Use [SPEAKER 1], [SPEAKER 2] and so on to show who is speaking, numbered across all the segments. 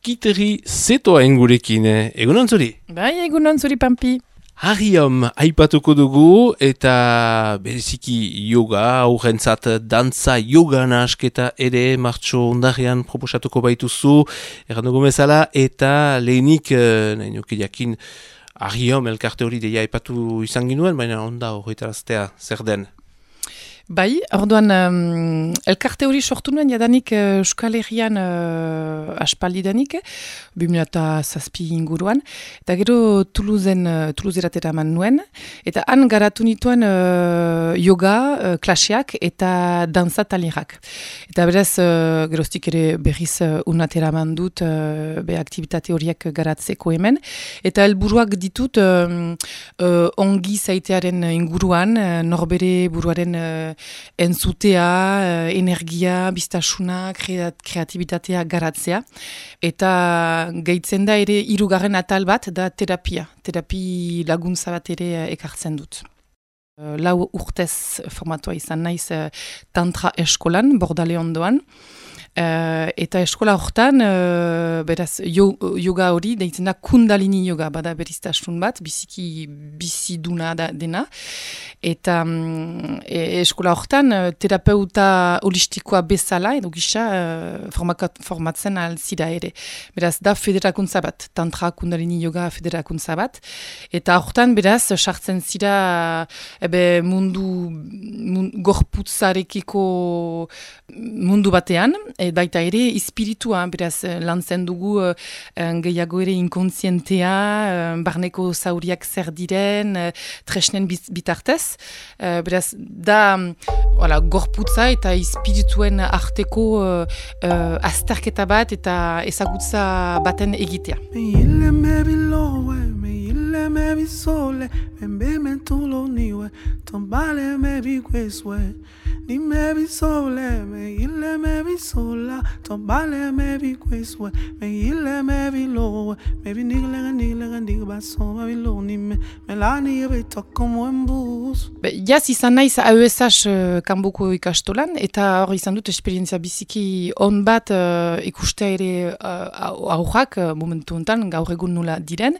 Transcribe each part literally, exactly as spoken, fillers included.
[SPEAKER 1] Kiteri zetoa ingurekin, eh? Egunon zuri?
[SPEAKER 2] Bai, egunon zuri, Pampi.
[SPEAKER 1] Harriom aipatuko dugu eta bereziki yoga, aurrentzat dantza yoga nahasketa ere martxo ondarrean proposatuko baituzu, erran dugu bezala, eta lehenik, eh, nahi nuke jakin, Harriom elkarte hori deia aipatu izan ginuen, baina onda horretaraztea zer den?
[SPEAKER 2] Bai, orduan, um, elkarte hori sortu nuen jadanik uh, Euskal Herrian uh, aspaldidanik, bimila eta zazpi inguruan, eta gero Toulousen, uh, Toulouseratera eman nuen, eta han garatu nituen uh, yoga uh, klaseak eta dantza talirak. Eta beraz, uh, geroztik ere berriz uh, unatera eman dut uh, be aktibitate horiek garatzeko hemen, eta helburuak ditut uh, uh, ongi zaitearen inguruan, uh, norbere buruaren uh, entzutea, energia, biztasuna, kreatibitatea garatzea. Eta gehitzen da ere hirugarren atal bat da terapia. Terapi laguntza bat ere ekartzen dut. Lau urtez formatua izan naiz tantra eskolan, Bordale ondoan. Uh, eta eskola hortan, uh, beraz, yo, yoga hori, deitzen da kundalini yoga, bada beriztasun bat, biziki biziduna da dena. Eta um, e, eskola hortan, uh, terapeuta holistikoa bezala, edo gisa, uh, formatzen alzira ere. Beraz, da federakuntza bat, tantra kundalini yoga federakuntza bat. Eta hortan, beraz, sartzen zira ebe mundu, mundu gorputzarekiko mundu batean, et baita ere espiritua, beraz lantzen dugu uh, gehiago ere inkontzientea, uh, barneko zauriak zer diren, uh, tresnen bitartez. Uh, beraz, da voilà, gorputza eta espirituen arteko uh, uh, azterketa bat eta ezagutza baten egitea.
[SPEAKER 3] Ni me vi sole, me ille me vi sola, tombale me vi quesue, me ille me vi lowe, me vi nigle nigle nigle baso, me vi lo ni me, me la ni ebe tokomo en bus.
[SPEAKER 2] Jaz izan naiz A E S H uh, kanboko ikastolan, eta hor izan dut esperientzia biziki on bat uh, ikustea ere uh, aurrak uh, momentu enten, gaur egun nula diren.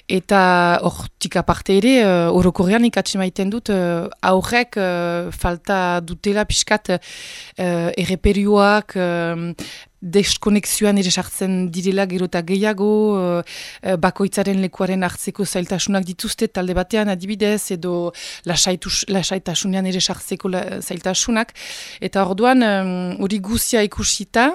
[SPEAKER 2] Eta hortik aparte ere, uh, orokorrean ikatzen maiten dut, uh, aurrek uh, falta dutela pixkat uh, erreperioak, uh, deskonexioan ere sartzen direla gero eta gehiago, uh, bakoitzaren lekuaren hartzeko zailtasunak dituzte talde batean adibidez, edo lasaitus, lasaitasunean ere sartzeko la, zailtasunak. Eta orduan, hori um, guzia ikusita,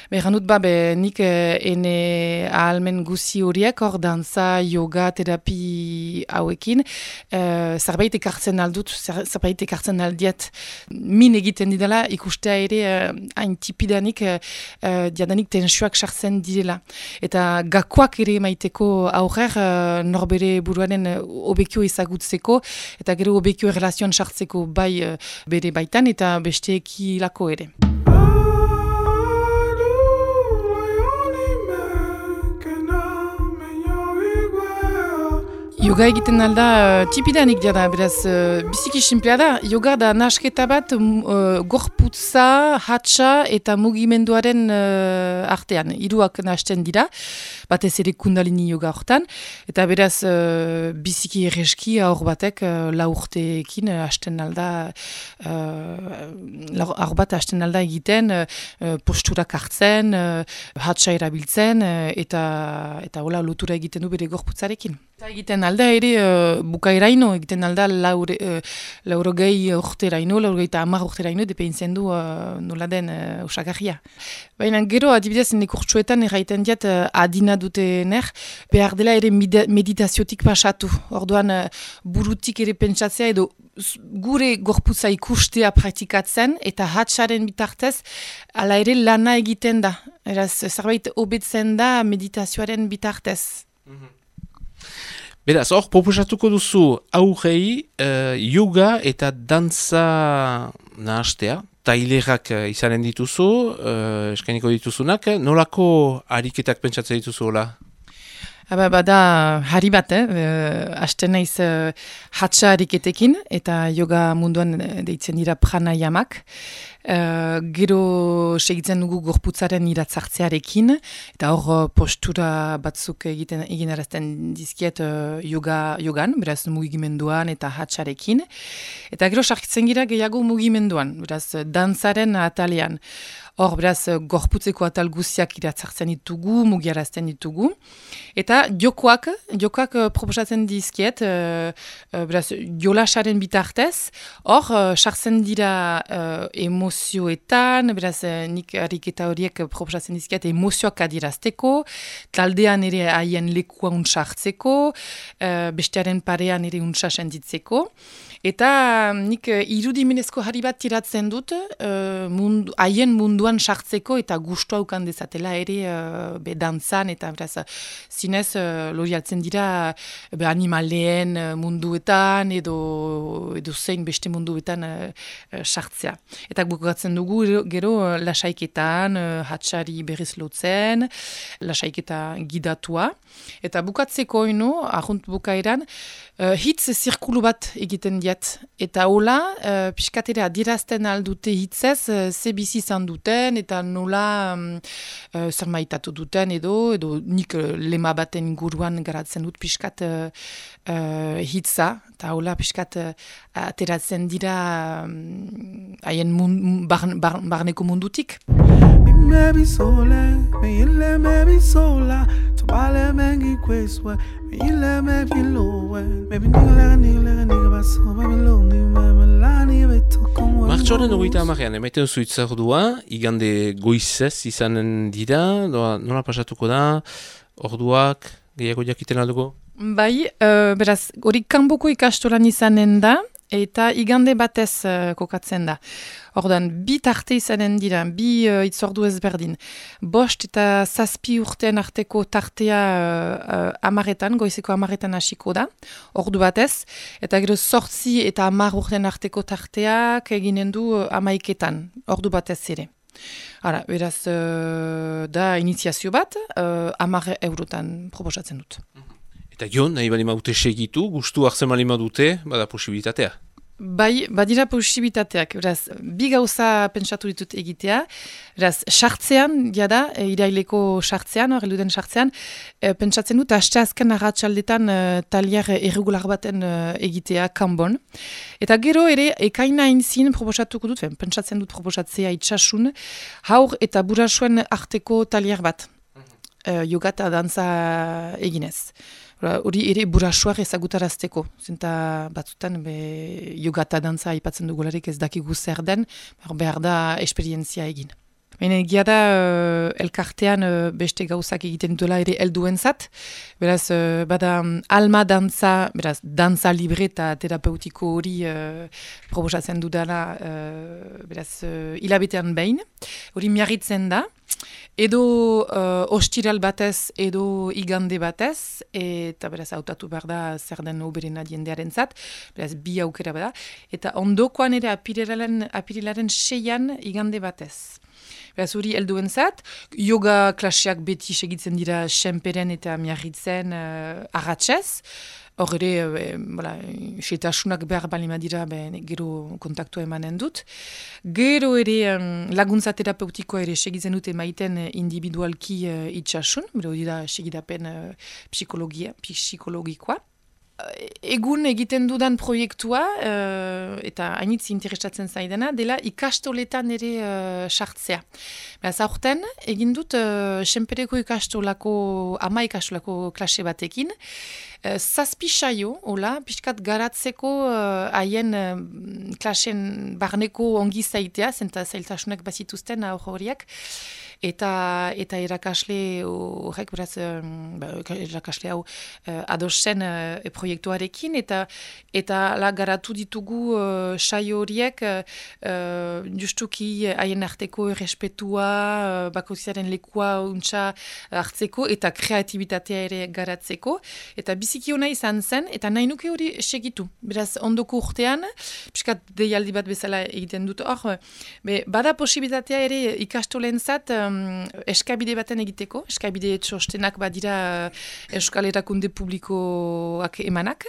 [SPEAKER 2] behan dut ba, be, nik eh, ene ahalmen guzi horiek, hor dantza, yoga, terapi hauekin, uh, zerbait ekartzen aldut, zerbait ekartzen aldiet, min egiten didala, ikustea ere uh, hain tipidanik, uh, Uh, diadanik tensioak sartzen direla. Eta gakoak ere maiteko aurrer uh, norbere buruaren uh, obekio ezagutzeko, eta gero obekio relazioan sartzeko bai uh, bere baitan eta besteeki lako ere. Yoga egiten alda, uh, tipidanik jada, beraz, uh, biziki simplea da. Yoga da nasketa bat uh, gorputza, hatsa eta mugimenduaren uh, artean. Hiruak nahasten dira, batez ere kundalini yoga hortan. Eta beraz, uh, biziki erreski aur batek uh, la urteekin uh, hasten alda, uh, aur bat hasten alda egiten, uh, posturak hartzen, uh, hatsa erabiltzen, uh, eta, eta hola lotura egiten du bere gorputzarekin. Eta egiten alda ere uh, bukaeraino, egiten alda laure, uh, laurogei urteraino, laurogei eta hamar urteraino, depeintzen du uh, nola den uh, usagarria. Baina gero, adibidez, nekurtsuetan erraiten diat uh, adina dutener, behar dela ere meditaziotik pasatu. Orduan, uh, burutik ere pentsatzea edo gure gorputza ikustea praktikatzen, eta hatsaren bitartez, ala ere lana egiten da. Eraz, zerbait hobetzen da meditazioaren bitartez. Mm-hmm.
[SPEAKER 1] Beraz, hor, proposatuko duzu aurrei uh, yoga eta dantza nahastea, tailerak uh, izanen dituzu, uh, eskainiko dituzunak, nolako ariketak pentsatzen dituzu hola?
[SPEAKER 2] Aba, bada hari bat, eh? Uh, Aste naiz uh, hatsa ariketekin, eta yoga munduan uh, deitzen dira pranayamak. Uh, gero segitzen dugu gorputzaren iratzartzearekin, eta hor uh, postura batzuk egiten egin arazten dizkiet uh, yoga, yogan, beraz mugimenduan eta hatsarekin. Eta gero sartzen gira gehiago mugimenduan, beraz dantzaren atalean. Hor, beraz, gorputzeko atal guztiak iratzartzen ditugu, mugiarazten ditugu. Eta jokoak, jokoak uh, proposatzen dizkiet, uh, uh, beraz, jolasaren bitartez, hor, uh, sartzen dira uh, emozioetan, beraz, uh, nik ariketa horiek proposatzen dizkiet emozioak adirazteko, taldean ere haien lekua unsartzeko, uh, bestearen parean ere untsa sentitzeko. Eta nik uh, irudimenezko hari bat tiratzen dut, uh, mundu, haien munduan sartzeko eta gustoa ukan dezatela ere uh, be dantzan, eta beraz, zinez uh, lorialtzen dira be animaleen uh, munduetan edo, edo zein beste munduetan uh, uh, sartzea. Eta bukatzen dugu gero uh, lasaiketan, uh, hatsari berriz lotzen, lasaiketa gidatua. Eta bukatzeko ino, ahunt bukaeran, uh, hitz zirkulu bat egiten diat. Eta hola, uh, piskatera adirazten aldute hitzez, uh, ze bizi izan duten, eta nola um, uh, zer maitatu duten edo, edo nik uh, lema baten inguruan garatzen dut piskat uh, uh, hitza, eta hola piskat uh, ateratzen dira haien um, mun, bar, bar, barneko mundutik.
[SPEAKER 3] Maybe sola, me ile maybe sola, tobale mengi kweswe, me ile maybe lowe, maybe nigga nigga nigga baso, maybe low ni melani beto como.
[SPEAKER 1] Martxoaren hogeita hamarean, emaiten duzu itzordua, igande goizez izanen dira, doa, nola pasatuko da, orduak, gehiago jakiten alduko?
[SPEAKER 2] Bai, uh, beraz, hori kanboko ikastolan izanen da, eta igande batez uh, kokatzen da. Ordan, bi tarte izanen dira, bi uh, itzordu ezberdin. Bost eta zazpi urtean arteko tartea uh, uh, amaretan, goizeko amaretan hasiko da, ordu batez. Eta gero sortzi eta amar urtean arteko tarteak eginen du uh, amaiketan, ordu batez ere. Hala, beraz, uh, da iniziazio bat, uh, amar eurotan proposatzen dut.
[SPEAKER 1] Eta jo, nahi balima dute segitu, gustu hartzen balima dute, bada posibilitatea.
[SPEAKER 2] Bai, badira posibilitateak, beraz, bi gauza pentsatu ditut egitea, beraz, sartzean, jada, e, iraileko sartzean, hor, eluden sartzean, e, pentsatzen dut, haste azken arratsaldetan e, talier irregular baten e, egitea kanbon. Eta gero ere, ekaina inzin proposatuko dut, pentsatzen dut proposatzea itxasun, haur eta burasuen arteko talier bat, e, yoga eta dantza eginez. Hori ere burasuak ezagutarazteko, zenta batzutan be, yoga eta dantza aipatzen dugularik ez dakigu zer den, behar da esperientzia egin. Baina egia da uh, elkartean uh, beste gauzak egiten duela ere helduentzat, beraz uh, bada um, alma dantza, beraz dantza libre eta terapeutiko hori uh, proposatzen dudala, uh, beraz uh, hilabetean behin, hori miarritzen da. Edo uh, ostiral batez, edo igande batez, eta beraz hautatu behar da zer den oberena diendearen zat, beraz bi aukera bada, eta ondokoan ere apirilaren, apirilaren seian igande batez. Beraz hori helduen zat, yoga klaseak beti segitzen dira senperen eta miarritzen uh, arratsez. Hor ere, e, bola, setasunak behar balima dira, be, gero kontaktua emanen dut. Gero ere um, laguntza terapeutikoa ere segitzen dute maiten individualki uh, itxasun, bero dira segidapen uh, psikologia, psikologikoa. Egun egiten dudan proiektua, uh, eta hainitz interesatzen zaidana, dela ikastoletan ere uh, sartzea. Beraz, aurten, egin dut, uh, senpereko ikastolako, ama ikastolako klase batekin, uh, zazpi saio, hola, pixkat garatzeko haien uh, uh, klasen barneko ongi zaitea, zenta zailtasunak bazituzten aur horiek, eta eta irakasle horrek, beraz, um, irakasle hau uh, adosen uh, proiektuarekin, eta eta la garatu ditugu uh, saio horiek uh, justuki haien arteko errespetua, uh, bakoitzaren lekua untsa hartzeko, eta kreatibitatea ere garatzeko, eta biziki hona izan zen, eta nahi nuke hori segitu. Beraz, ondoko urtean, piskat deialdi bat bezala egiten dut hor, be, bada posibilitatea ere ikastolentzat, um, eskabide baten egiteko, eskabide txostenak badira Euskal Erakunde Publikoak emanak,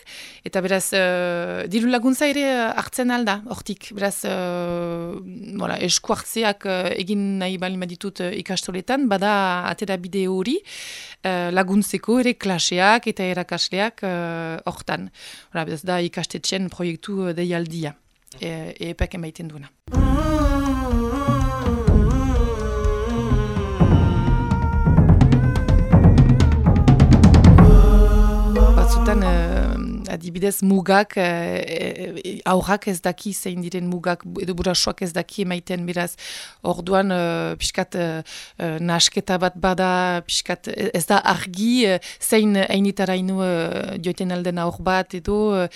[SPEAKER 2] eta beraz, uh, diru laguntza ere hartzen alda, hortik, beraz, uh, voilà, esku hartzeak uh, egin nahi bali maditut uh, ikastoletan, bada atera bide hori, uh, laguntzeko ere klaseak eta erakasleak hortan. Uh, beraz, da ikastetxen proiektu uh, deialdia, e, epek emaiten duena. Batzutan, uh, adibidez, mugak, uh, aurrak ez daki zein diren mugak, edo burasoak ez daki emaiten, beraz, orduan, uh, pixkat, uh, nasketa bat bada, pixkat, ez da argi, uh, zein hainitarainu uh, joiten alden aur bat, edo, uh,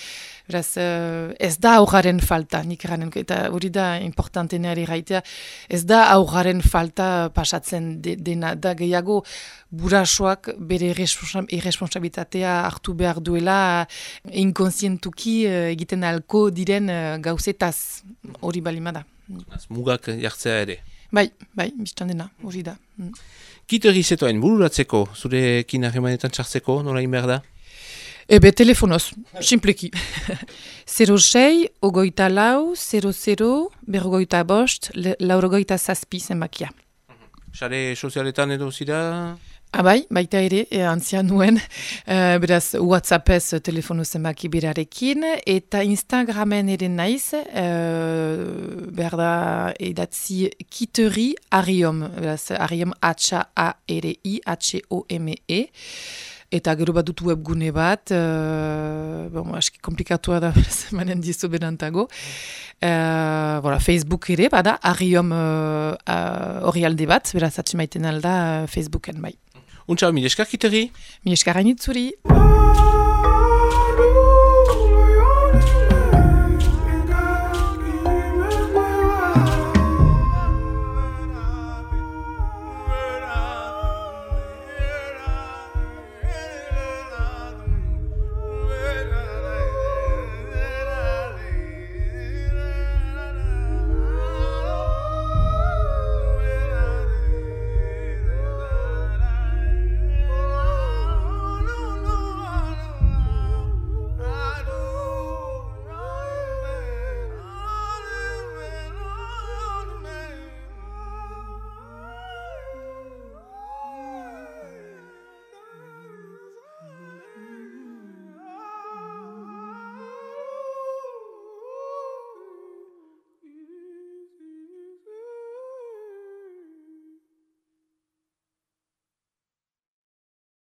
[SPEAKER 2] beraz, uh, ez da aurraren falta, nik eranen, eta hori da importantena ere gaitea, ez da aurraren falta pasatzen de, dena, da gehiago, burasoak bere irresponsabilitatea hartu behar duela inkonsientuki uh, egiten alko diren uh, gauzetaz hori balimada.
[SPEAKER 1] Mugak jartzea ere.
[SPEAKER 2] Bai, bai, biztan dena, hori da. Mm.
[SPEAKER 1] Kiteri zetoen bururatzeko, zurekin harremanetan txartzeko, nola behar da?
[SPEAKER 2] Ebe, telefonoz, simpleki. zero sei, ogoita lau, zero zero, berrogoita bost, laurogoita zazpi zenbakia.
[SPEAKER 1] Sare sozialetan edo zira?
[SPEAKER 2] Abai, baita ere, e, antzian nuen, e, beraz WhatsAppez telefono zenbaki berarekin, eta Instagramen ere naiz, e, behar da edatzi kiteri ariom, beraz ariom H-A-R-I, H-O-M-E, eta gero bat dut webgune bat, uh, bon, aski komplikatua da, manen dizu benantago. Uh, voilà, Facebook ere, bada, ariom hori uh, uh, alde bat, beraz atxemaiten alda uh, Facebooken bai.
[SPEAKER 1] Untsa, mi eskar kiteri?
[SPEAKER 2] Mi eskar hainitzuri.